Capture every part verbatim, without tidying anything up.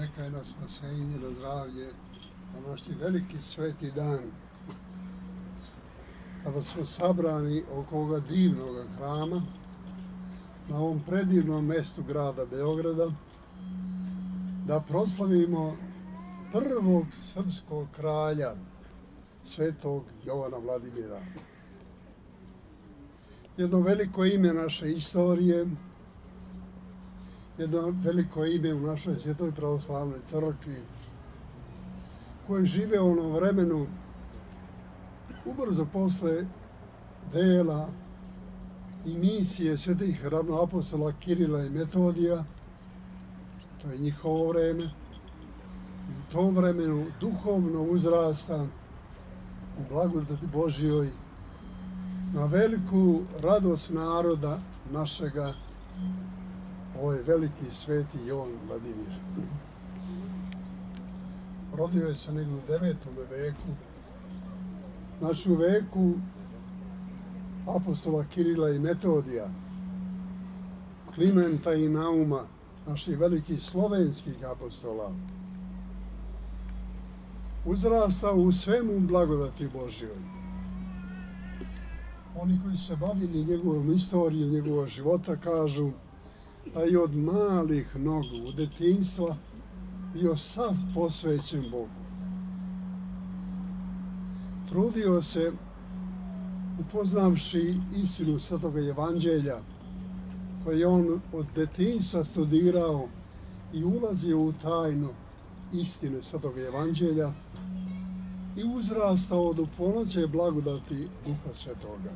neka je na spasenje, na zdravlje, na naš veliki sveti dan, kada smo sabrani oko ovoga divnog hrama, na ovom predivnom mestu grada Beograda, da proslavimo prvog srpskog kralja, svetog Jovana Vladimira. Jedno veliko ime naše istorije, jedno veliko ime u našoj Svetoj pravoslavnoj crkvi, koji žive u onom vremenu ubrzo posle dela i misije svetih ravnoapostola Kirila i Metodija. To je njihovo vreme. I u tom vremenu duhovno uzrasta u blagodati Božjoj na veliku radost naroda našega, ovaj veliki sveti Jovan Vladimir. Rodio je se negdje u devetom veku, znači u veku apostola Kirila i Metodija, Klimenta i Nauma, naših velikih slovenskih apostola. Uzrasta u svemu blagodati Božjoj. Oni koji se bavili njegovom istorijom, njegovog života, kažu da je od malih nogu u detinjstva bio sav posvećen Bogu. Trudio se, upoznavši istinu Svetoga Evanđelja, koje je on od detinjstva studirao i ulazio u tajnu istine Svetoga Evanđelja i uzrastao do ponoće blagodati Duha Svetoga.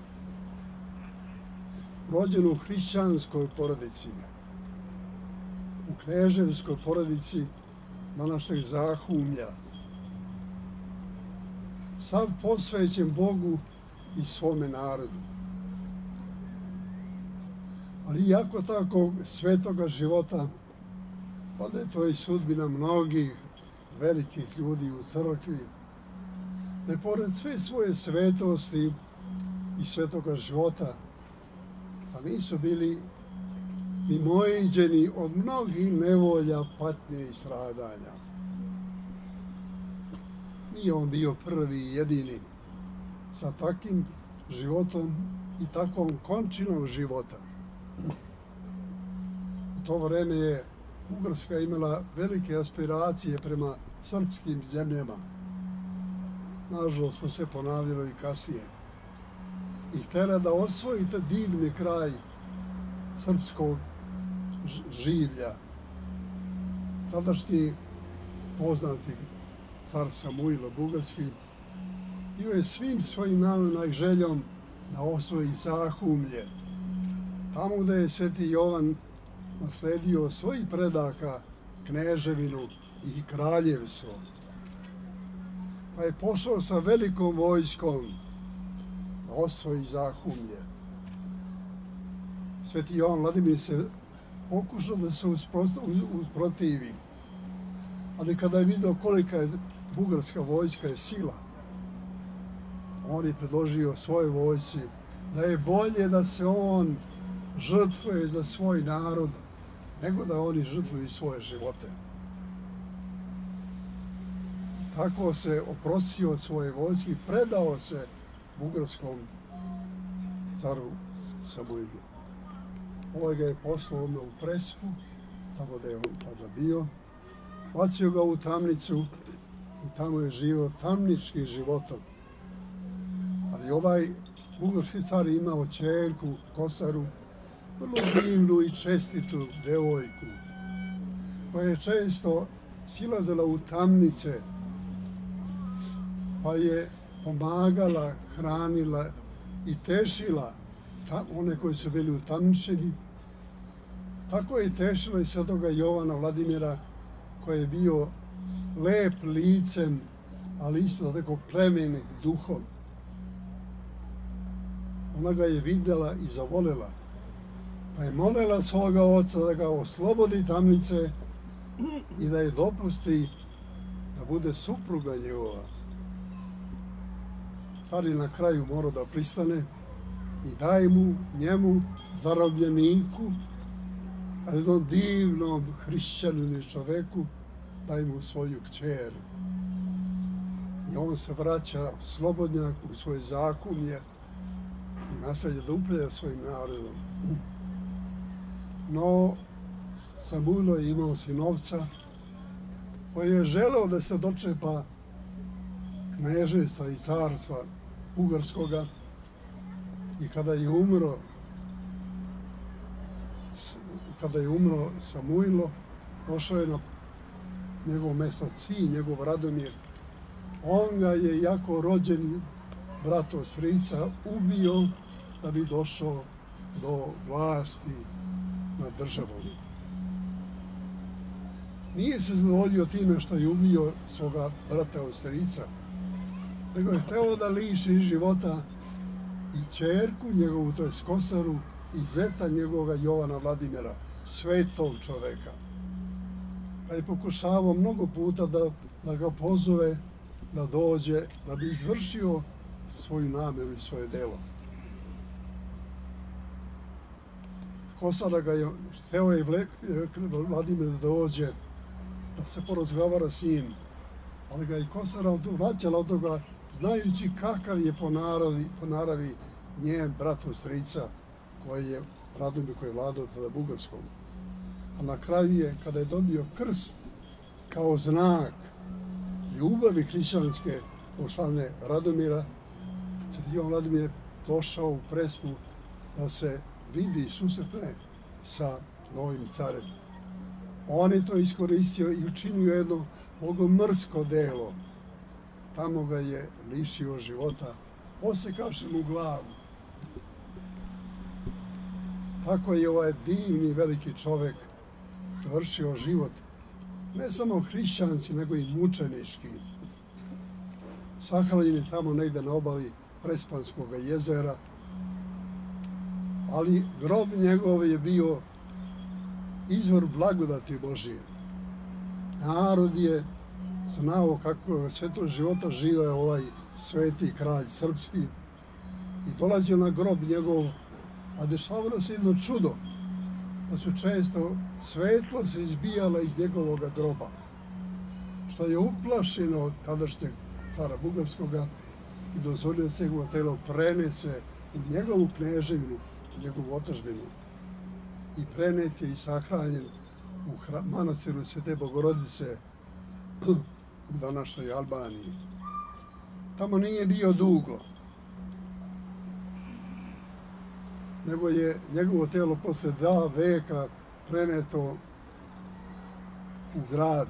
Rođen u hrišćanskoj porodici, u kneževskoj porodici današnjeg Zahumlja, sav posvećen Bogu i svome narodu. Ali iako tako svetoga života, pa da je to i sudbina mnogih velikih ljudi u crkvi, da je pored sve svoje svetosti i svetoga života, pa nisu bili mimoiđeni od mnogih nevolja, patnje i stradanja. Nije on bio prvi i jedini sa takvim životom i takvom končinom života. U to vreme je Ugarska imala velike aspiracije prema srpskim zemljama. Nažalost, to se ponavljalo i kasnije. I htjela da osvoji taj divni kraj srpskog življa. Tadašnji poznati car Samuilo Bugarski bio je svim svojim namjerom i željom da osvoji Zahumlje, tamo gde je sveti Jovan nasledio svojih predaka kneževinu i kraljevstvo. Pa je pošao sa velikom vojskom da osvoji Zahumlje. Sveti Jovan Vladimir se pokušao da se usprotivi, ali kada je vidio kolika je bugarska vojska je sila, on je predložio svojoj vojsci da je bolje da se on žrtvuje za svoj narod, nego da oni žrtvuju svoje živote. Tako se oprostio od svoje vojske i predao se bugarskom caru Samuilu. Ovaj ga je poslao odmah u Prespu, tamo da je on tada bio, bacio ga u tamnicu i tamo je živio tamničkim životom. Ali ovaj bugarski car je imao ćerku, Kosaru, vrlo divnu i čestitu devojku, koja je često silazila u tamnice, pa je pomagala, hranila i tešila one koji su bili utamničeni. Tako je tešila i svetoga Jovana Vladimira, koji je bio lep licem, ali isto tako plemenit duhom. Ona ga je vidjela i zavolela, pa je molila svoga oca da ga oslobodi tamnice i da je dopusti da bude supruga njegova. Car je na kraju morao da pristane i daje mu, njemu, zarobljeniku, ali jednom divnom hrišćaninu čoveku, daje mu svoju kćer. I on se vraća slobodnjak u svoje zakumje i nastavlja da upravlja svojim narodom. No, Samuilo je imao sinovca koji je želeo da se dočepa knežestva i carstva Ugarskoga, i kada je umro kada je umro Samuilo, došao je na njegovo mesto sin, njegov Radomir. On ga je, jako rođeni brat od strica, ubio da bi došao do vlasti nad državom. Nije se zadovoljio time što je ubio svoga brata od strica, nego je hteo da liši života i ćerku njegovu, to je Kosaru, i zeta njegovoga Jovana Vladimira, svetog čoveka. Pa je pokušavao mnogo puta da, da ga pozove da dođe, da bi izvršio svoju namjeru i svoje delo. Kosara ga je, hteo je Vladimir da dođe, da se porazgovara s njim, ali ga i Kosara vraćala od toga, znajući kakav je po naravi, po naravi njen brat od strica, koji je Radomir, koji je vladao tada Bugarskom. A na kraju je, kada je dobio krst kao znak ljubavi hrišćanske od strane Radomira, Ivan Vladimir je došao u Prespu da se vidi i susretne sa novim carem. On je to iskoristio i učinio jedno bogomrsko delo. Tamo ga je lišio života, osekavši mu glavu. Tako je ovaj divni veliki čovek završio život, ne samo hrišćanski, nego i mučenički. Sahranjen je tamo negde na obali Prespanskog jezera, ali grob njegov je bio izvor blagodati Božije. Narod je znao kako sve to života žive ovaj sveti kralj srpski i dolazio na grob njegov, a dešavalo se jedno čudo, da su često svetlo se izbijala iz njegovog groba, što je uplašeno tadašnjeg cara Bugarskoga i dozvolio da se njegovo telo prenese u njegovu kneževinu, u njegovu otadžbinu, i prenet je i sahranjen u manastiru Svete Bogorodice u današnjoj Albaniji. Tamo nije bio dugo, nego je njegovo telo posle dva veka preneto u grad.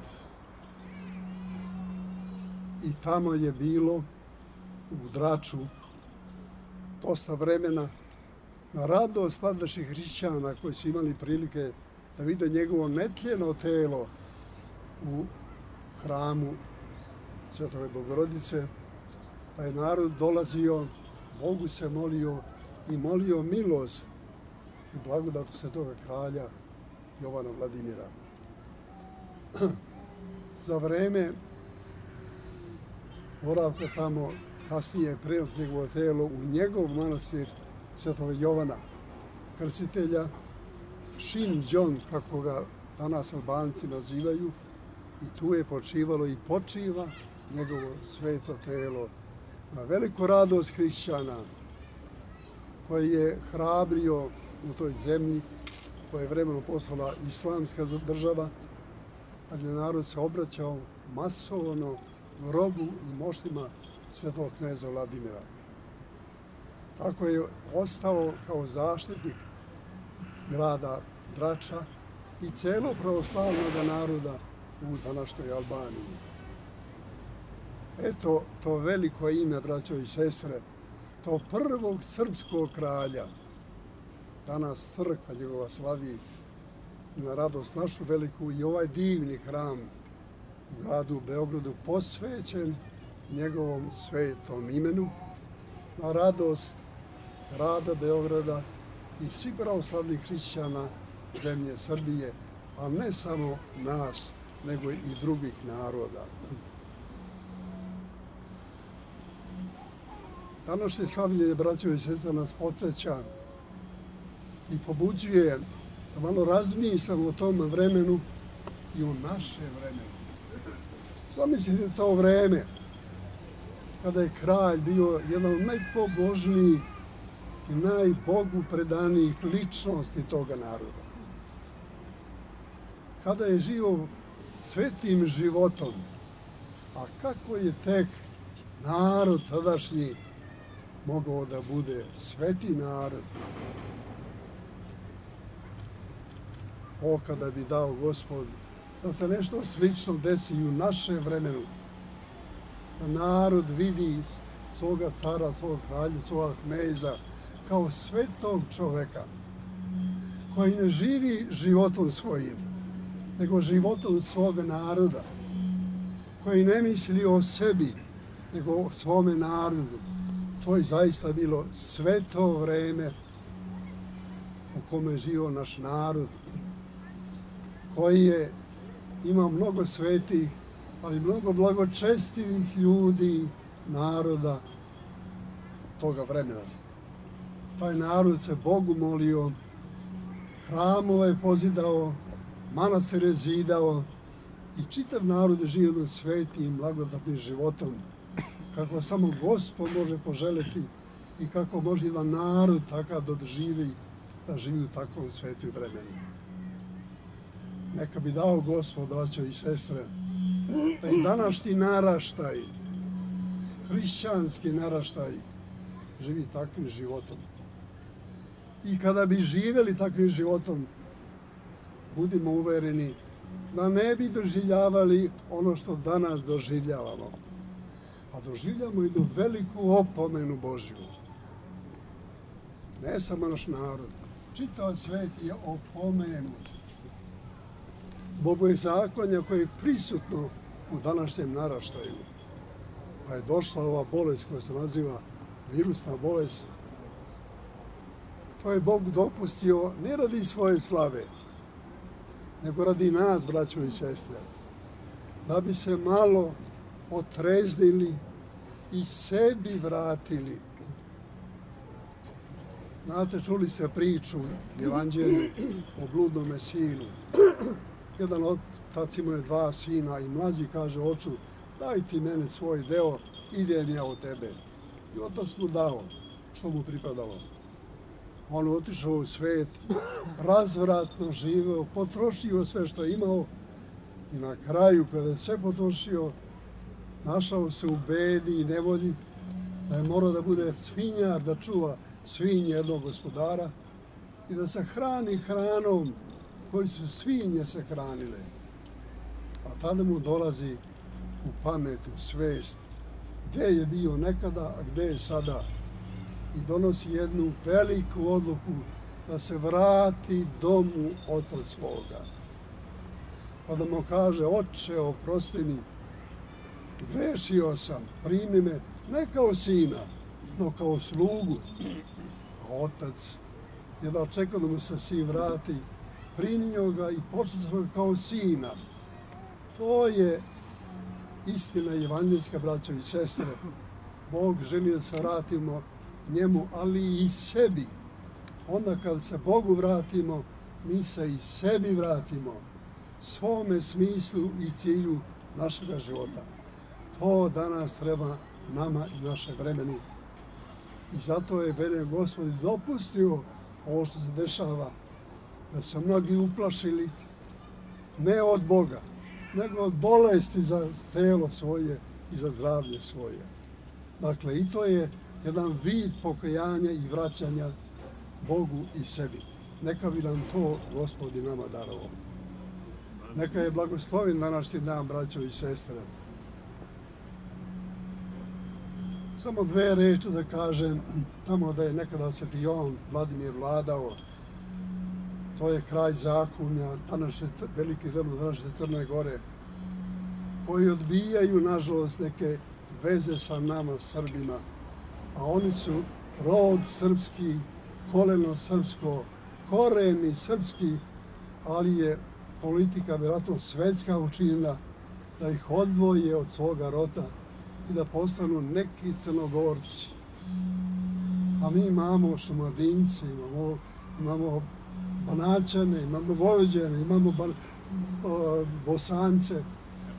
I tamo je bilo u Draču dosta vremena na radost tadašnjih hrišćana koji su imali prilike da vide njegovo netljeno telo u hramu Svetove Bogorodice, pa je narod dolazio, Bogu se molio i molio milost i blagodat svetoga kralja Jovana Vladimira. Za vreme boravka tamo kasnije je preneto njegovo telo u njegov manastir Svetog Jovana Krstitelja, Shin Džon, kako ga danas Albanci nazivaju, i tu je počivalo i počiva njegovo sveto telo na veliku radost hrišćana koji je hrabrio u toj zemlji koja je vremenom postala islamska država, a gdje narod se obraćao masovno grobu i moštima svetog kneza Vladimira. Tako je ostao kao zaštitnik grada Drača i celog pravoslavnog naroda u današnjoj Albaniji. Eto, to veliko ime, braćo i sestre, to prvog srpskog kralja, danas crkva njegova slavi na radost našu veliku, i ovaj divni hram u gradu Beogradu posvećen njegovom svetom imenu, na radost grada Beograda i svih pravoslavnih hrišćana zemlje Srbije, a ne samo nas, nego i drugih naroda. Današnje slavljenje, braćo i sestre, nas podsjeća i pobuđuje da malo razmislimo o tom vremenu i o našem vremenu. Zamislite to vreme kada je kralj bio jedan od najpobožnijih i najbogu predanijih ličnosti toga naroda. Kada je živio svetim životom, a kako je tek narod tadašnji mogao da bude sveti narod. O, kada bi dao Gospod da se nešto slično desi i u našem vremenu, da narod vidi svoga cara, svog kralja, svoga kneza kao svetog čoveka koji ne živi životom svojim, nego životom svoga naroda, koji ne misli o sebi, nego o svome narodu. To je zaista bilo sveto vreme u kome je živio naš narod, koji je imao mnogo svetih, ali mnogo blagočestivih ljudi, naroda toga vremena. Taj narod se Bogu molio, hramove je pozidao, manastire je zidao i čitav narod je živio svetim, blagodatnim životom, kako samo Gospod može poželiti i kako može jedan narod takav da doživi, da živi u takvom svetu vremenu. Neka bi dao Gospod, braćo i sestre, da i današnji naraštaj, hrišćanski naraštaj, živi takvim životom. I kada bi živjeli takvim životom, budimo uvereni da ne bi doživljavali ono što danas doživljavamo. A doživljamo i do veliku opomenu Božju. Ne samo naš narod, čitav svet je opomenut. Bogozakonje koje je prisutno u današnjem naraštaju. Pa je došla ova bolest koja se naziva virusna bolest. To je Bog dopustio ne radi svoje slave, nego radi nas, braćo i sestre, da bi se malo otreznili i sebi vratili. Znate, čuli ste priču Evanđelju o bludnome sinu. Jedan otac imao je dva sina i mlađi kaže oču, daj ti mene svoj deo, idem ja od tebe. I otac mu dao što mu pripadalo. On otišao u svet, razvratno živeo, potrošio sve što je imao i na kraju, kada je sve potrošio, našao se u bedi i nevolji, da je morao da bude svinjar, da čuva svinje jednog gospodara i da se hrani hranom koji su svinje se hranile. A tada mu dolazi u pamet, u svest, gdje je bio nekada, a gdje je sada. I donosi jednu veliku odluku da se vrati domu oca svoga. Pa da mu kaže, oče, oprosti mi, grešio sam, primi me, ne kao sina, no kao slugu. A otac je da čekao da mu se sin vrati, primio ga i počeo ga kao sina. To je istina evanđeljska, braćo i sestre. Bog želi da se vratimo njemu, ali i sebi. Onda kad se Bogu vratimo, mi se i sebi vratimo, svome smislu i cilju našega života. To danas treba nama i naše vremenu. I zato je mene Gospod dopustio ovo što se dešava, da se mnogi uplašili ne od Boga, nego od bolesti za telo svoje i za zdravlje svoje. Dakle, i to je jedan vid pokajanja i vraćanja Bogu i sebi. Neka bi nam to Gospod i nama darovao. Neka je blagosloven današnji dan, braćo i sestre. Samo dve reči da kažem, tamo da je nekada Sveti Jovan Vladimir vladao, to je kraj zakonja, današnje, veliki zemlje današnje Crne Gore, koji odbijaju, nažalost, neke veze sa nama, Srbima, a oni su rod srpski, koleno srpsko, koreni srpski, ali je politika vjerojatno svetska učinila da ih odvoje od svoga roda i da postanu neki Crnogorci. A mi imamo Šumadince, imamo, imamo Banaćane, imamo Vojvođane, imamo ba, o, Bosance.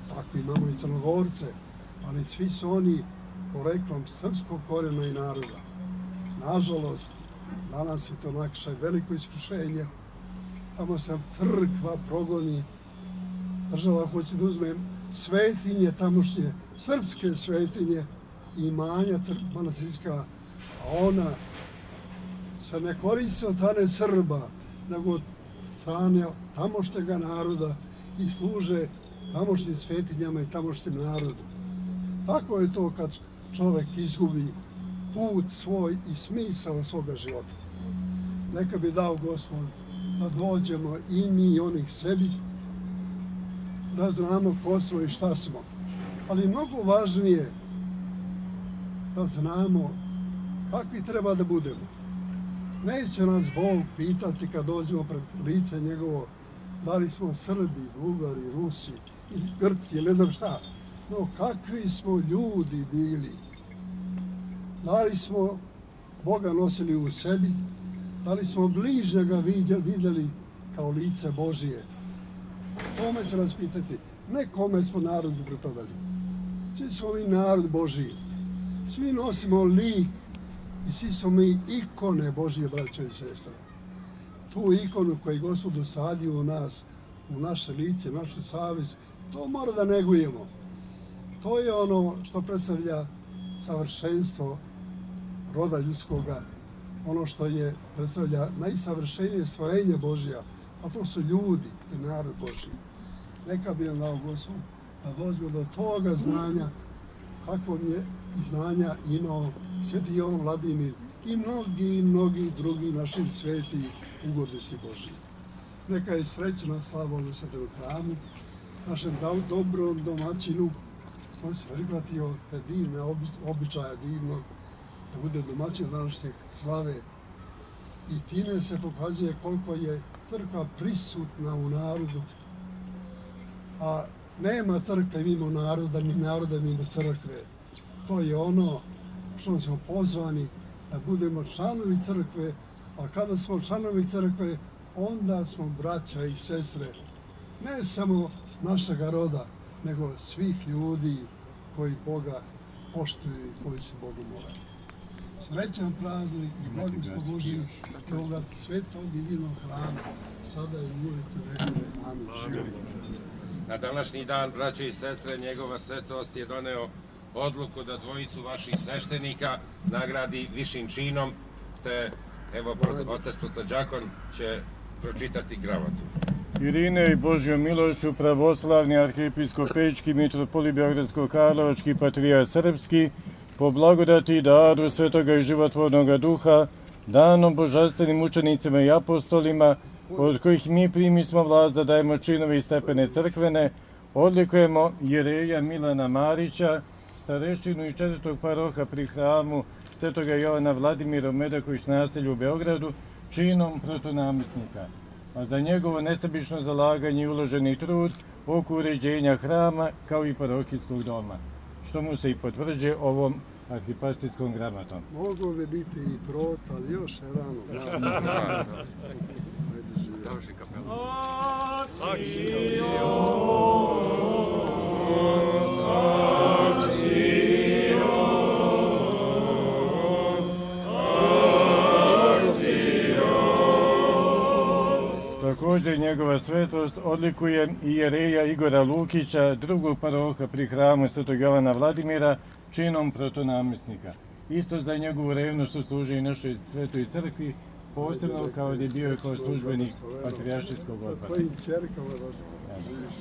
tako imamo i Crnogorce, ali svi su oni poreklom srpskog korijena i naroda. Nažalost, danas je to nakše veliko iskušenje. Tamo se crkva progoni, država hoće da uzme svetinje, tamošnje srpske svetinje i imanja manastirska, a ona se ne koristi od strane Srba, nego od strane tamošnjega naroda i služe tamošnjim svetinjama i tamošnjem narodu. Tako je to kad čovjek izgubi put svoj i smisao svoga života. Neka bi dao Gospod da dođemo i mi i onih sebi, da znamo ko smo i šta smo. Ali mnogo važnije da znamo kakvi treba da budemo. Neće nas Bog pitati kad dođemo pred lice njegovo da li smo Srbi, Bugari, Rusi ili Grci ili ne znam šta. No kakvi smo ljudi bili. Da li smo Boga nosili u sebi, da li smo bližnjega vidjeli kao lice Božije. Tome će nas pitati, ne kome smo narodu pripadali. Svi smo mi narod Božiji. Svi nosimo lik i svi smo mi ikone Božije, braćo i sestre. Tu ikonu koju je Gospod usadio u nas, u naše lice, našu savjest, to mora da negujemo. To je ono što predstavlja savršenstvo roda ljudskoga, ono što je predstavlja najsavršenije stvorenje Božja, a to su ljudi i narod Božji. Neka bi nam dao Gospod da dođemo do toga znanja, kakvog je i znanja imao Sveti Jovan Vladimir i mnogi, mnogi drugi naši sveti ugodnici Božji. Neka je srećna slava u Svetom hramu, našem dobrom domaćinu, koji se prihvatio te divne običaje divno, da bude domaćin današnje slave. I time se pokazuje koliko je crkva prisutna u narodu, a nema crkve mimo naroda, ni naroda mimo crkve. To je ono što smo pozvani da budemo članovi crkve, a kada smo članovi crkve, onda smo braća i sestre, ne samo našega roda, nego svih ljudi koji Boga poštuju i koji se Bogu mole. Srećan praznik i blagoslov Božji toga svetog i divnog hrama, sada i uvijek u vekove. Amin. Na današnji dan, braćo i sestre, njegova svetost je doneo odluku da dvojicu vaših sveštenika nagradi višim činom, te evo otac protođakon će pročitati gramatu. Irine i Božjom milošću pravoslavni arhiepiskopejčki mitropolit Beogradsko-Karlovački patrijarh srpski, po blagodati i daru Svetoga i životvornog duha, danom božanstvenim učenicima i apostolima, od kojih mi primismo vlast da dajemo činove i stepene crkvene, odlikujemo Jereja Milana Marića, starešinu i četvrtog paroha pri hramu Svetoga Jovana Vladimira u Medaković naselju u Beogradu, činom protonamjesnika. A za njegovo nesebično zalaganje i uloženi trud oko uređenja hrama kao i parohijskog doma, što mu se i potvrđuje ovom arhipastorskom gramatom. Moglo bi biti i prot, ali još je rano. Završi kapelu. Također njegova svetost odlikuje i Jereja Igora Lukića, drugog paroha pri hramu Svetog Jovana Vladimira, činom protonamjesnika. Isto za njegovu revnost služi i našoj svetoj crkvi, posebno kao da je bio kao službenik patrijaršijskog odbora. Tvojim čerkama da živiš.